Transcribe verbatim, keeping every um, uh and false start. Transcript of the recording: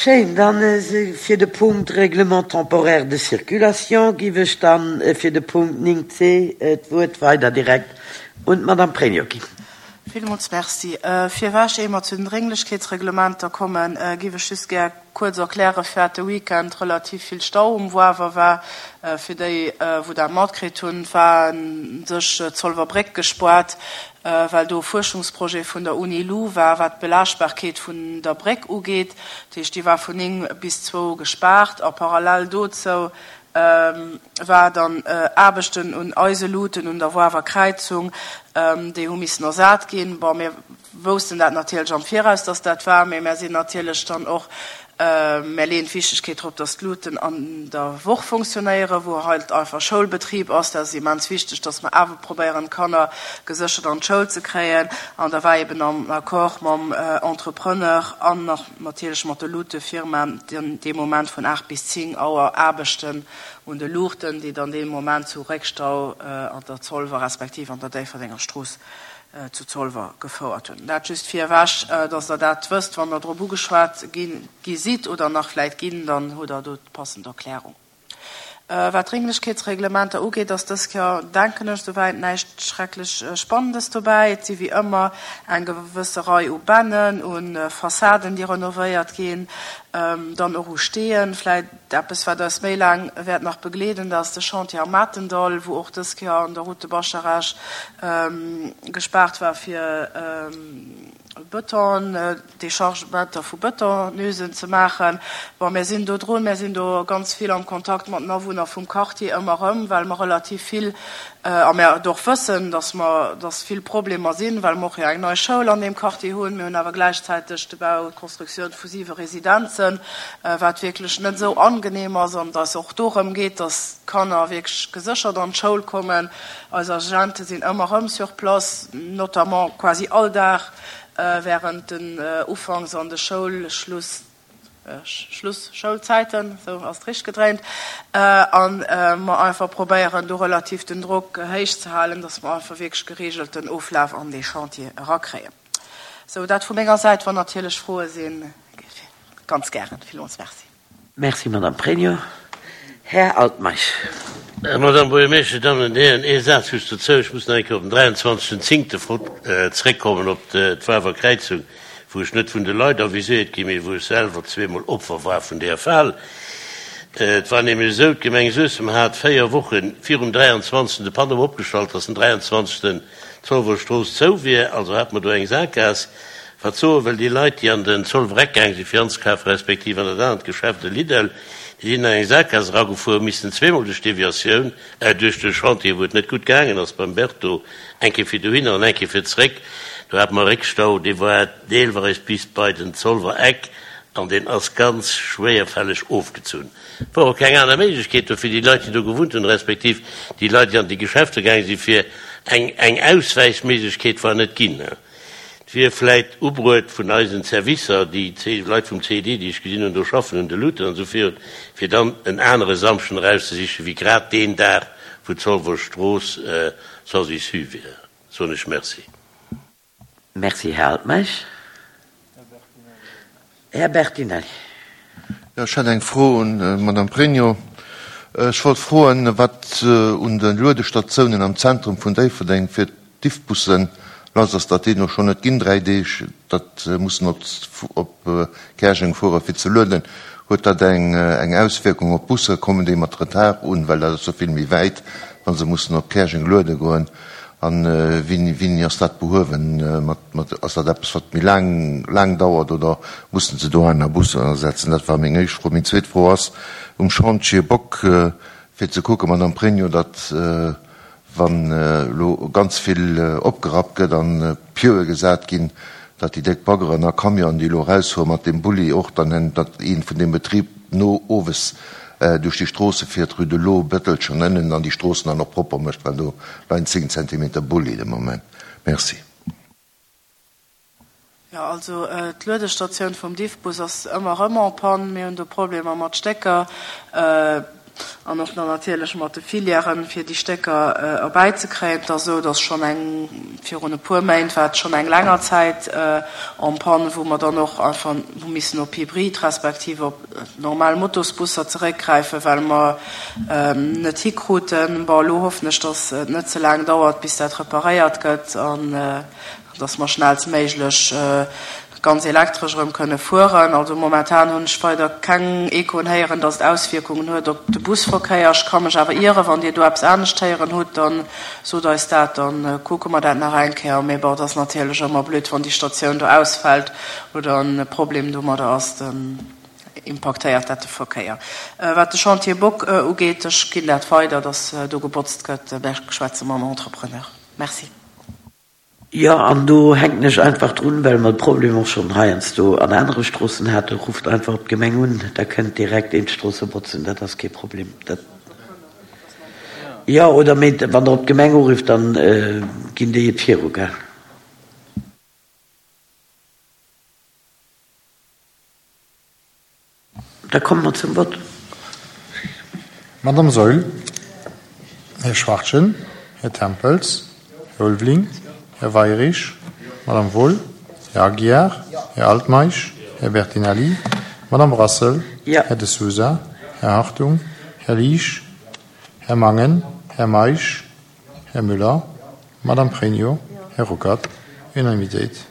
Schéin, dann fir de Punkt Règlement temporaire de circulation giff ech dann fir de Punkt néng C d'Wuert weider direkt un d'Madame Pregno ginn. Villmools Merci. Virwech, éier mer zu den Drénglechkeetsreglementer kommen, giff ech just gär kuerz erklären, firwat de Weekend relativ vill Stau um Woawer war. Fir déi, wou dat matkritt hunn, war sech d'Zolwer Bréck gespaart, well do e Fuerschungsprojet vun der Uni-Lu war, wat d'Belaaschtbarkeet vun der Bréck ugeet. Dat heescht, déi war vun néng bis zwou gespaart a parallel dozou war dann Aarbechten un eise Luuten un der Woawer Kräizung, déi hu missen ersat ginn. Bon, mir woussten dat natierlech am Viraus, dass dat war, mee mär sinn natierlech dann och, mär leeën d'Wichtegkeet drop, dass d'Luuten an der Woch funktionéieren, wou halt einfach Schoulbetrib ass. Dat ass immens wichteg, dass mer awer probéieren, d'Kanner geséchert an d'Schoul ze kréien. An da war eben am Accord mam Entrepreneur an nach natierlech mat de Luutefirmaen den dee Moment vun aacht bis zéng Auer Aarbechten un de Luuchten, déi dann dee Moment zu Réckstau an der Zolwer respektiv an der Déifferdenger Strooss zu Zolwer gefouert hunn. Dat just virewech, dass Der dat wësst, wann Der drop ugeschwat gi sidd oder nach vläit ginn, dann hutt Der do d'passend Erklärung. Wat d'Drénglechkeetsreglementer ugeet, ass dës Kéier, denken ech, souwäit näischt schrecklech Spannendes dobäi. Et si wéi ëmmer eng gewësse Rei u Bännen, u Fassaden, déi renovéiert ginn, dann och u Steeën. Vläit eppes, wat eis méi laang wäert nach begleeden, dat ass de Chantier am Matendall, wou och dës Kéier an der Route de Bascharage gespaart war fir Bëton, Dechargementer vu Bëtonösen ze maachen. Bon, mir sinn do drun, mir sinn do ganz vill am Kontakt mat den Awunner vum Quartier ëmmer erëm, well mer relativ vill, a mir et och wëssen, dass mer, dass vill Problemer sinn, well mer och jo eng nei Schoul an deem Quartier hunn. Mir hunn awer gläichzäiteg de Bau, d'Constructioun vu siwe Residenzen, wat wierklech net esou angenehm ass an et eis och dorëm geet, dass d'Kanner wierklech geséchert an d'Schoul kommen. Eis Agente sinn ëmmer erëm sur place, notamment quasi all Dag während den Ufanks an de Schoulschluss, Schluss-Schoulzäiten, esou ass et richteg gedréint, a mer einfach probéieren do relativ den Drock héich ze halen, dass mer einfach wierklech geregelten Oflaf an dee Chantier erakréien. Esou, dat vu menger Säit. Wann natierlech Froe sinn, ganz gären. Villmools Merci. Merci, Madame Pregno. Här Altmeisch. Madame Buergermeeschtesch, Dir Dammen an Dir Hären, ee Saz just dozou. Ech muss nach eng Kéier op den dräianzwanzegsten zéngte zréckkommen, op d'Wawer Kräizung, wou ech net vun de Leit aviséiert ginn, mee wou ech selwer zweemol Opfer war vun där Fal. Et war nämlech esou, d'Gemeng Suessem hat véier Woche virum dräianzwanzegsten de Panneau opgestallt, dass den dräianzwanzegsten d'Zolwer Strooss zou wier. Also hate mer do eng Sakgaass. Wat soe wëll, déi Leit, déi an den Zolwer Eck gaang sinn, fir anzekafen, respektiv an dat anert Geschäft, de Lidl, déi sinn an eng Sakgaass eragefuer, hu missen zweemol duerch d'Deviatioun, äh, duerch de Chantier, wou et net gutt gaangen ass beim Berto, eng Kéier fir dohinner an eng Kéier fir zréck. Do hate mer e Réckstau, dee war deelweis bis bei den Zolwer Eck an deen ass ganz schwéierfälleg ofgezunn. Et wor och keng aner Méiglechkeet do fir déi Leit, déi do gewunnt hunn, respektiv déi Leit, déi an déi Geschäfter gaange sinn, fir eng, eng Auswäichméiglechkeet war net ginn. Et wier vläit ubruet vun eisen Servicer, déi Leit vum C E D, déi ech gesinn hunn do schaffen, un de Luuten an esou virun, fir dann en anere Samschden erauszesichen, wéi grad deen Dag, wou d'Zolwer Strooss sans issue wier. Soen ech Merci. Merci, Här Altmeisch. Här Bertinelli. Jo, ech hätt eng Fro un d'Madame Pregno. Ech wollt froen, wat un de Luedestatiounen am Zentrum vun Déifferdeng fir d'Diffbussen lass ass, datt déi no schonn net ginn, dräi Deeg, datt mussen op op Käerjeng fuere fir ze lueden. Huet dat eng eng Auswierkung op d'Busser? Kommen déi mat Retard un, well dat ass jo vill méi wäit, wa se mussen op Käerjeng luede goen? An wéini wéini ass dat behuewen? Mat mat ass dat eppes, wat méi laang laang dauert oder mussen se do aner Busser ersetzen? Dat war meng éischt Fro. Meng zweet Fro ass um Chantier Bock, fir ze kucken, Madame Pregno, datt wann elo ganz vill opgerappt gëtt an Pieue gesat ginn, datt déi déck Baggeren a Camionen, déi elo erausfuere mat deem Bulli och dann, datt een vun deem Betrib no owes duerch déi Stroosse fiert, Rue de l'Eau, Bëttelchen ënnen, an déi Stroossen dann och propper mécht, well do leien zéng Zentimeter Bulli de Moment. Merci. Jo, also d'Luedestatioun vum Diffbus ass ëmmer erëm en panne. Mir hunn do Problemer mat Stécker. An och nach natierlech mat de Filièren, fir déi Stécker erbäizekréien. Et ass esou, dass schonn eng, virun e puer Méint war et schonn eng länger Zäit en panne, wou mer dann och einfach hu missen op Hybrid respektiv op normal Motosbusser zeréckgräifen, well mer net hikruten. Bon, elo hoffen ech, dass et net ze laang dauert, bis dat reparéiert gëtt an dass mer schnellstméiglech ganz elektresch erëm kënne fueren. Also momentan hunn ech weider keng Echoen héieren, dass et Auswierkungen huet op de Busverkéier. Ech ka mech awer ieren. Wann Dir do eppes anescht héieren hutt, da sot eis dat, da kucke mer dat nach eng Kéier. Mee bon, et ass natierlech ëmmer blöd, wann déi Statioun do ausfält oder e Problem domadder ass, dann impaktéiert dat de Verkéier. Wat de Chantier Bock ugeet, ech ginn dat weider, dass do gebotzt gëtt. Ech schwätze mam Entrepreneur. Merci. Jo, an do hänken ech einfach drun, well mer de Problem och schonn heiansdo an anere Stroossen haten, Rufft einfach op d'Gemeng un, da kënnt direkt een d'Stroosse botzen, dat ass kee Problem. Dat, jo, oder mee wann Der op d'Gemeng urifft, dann ginn déi et viru, gell? Da komme mer zum Vott. Madame Saeul, Här Schwachtgen, Här Tempels, Här Ulveling, Här Weirich, Madame Wohl, Här Aguiar, Här Altmeisch, Här Bertinelli, Madame Brassel, Här De Sousa, Här Hartung, Här Liesch, Här Mangen, Här Meisch, Här Müller, Madame Pregno, Här Ruckert. Unanimitéit.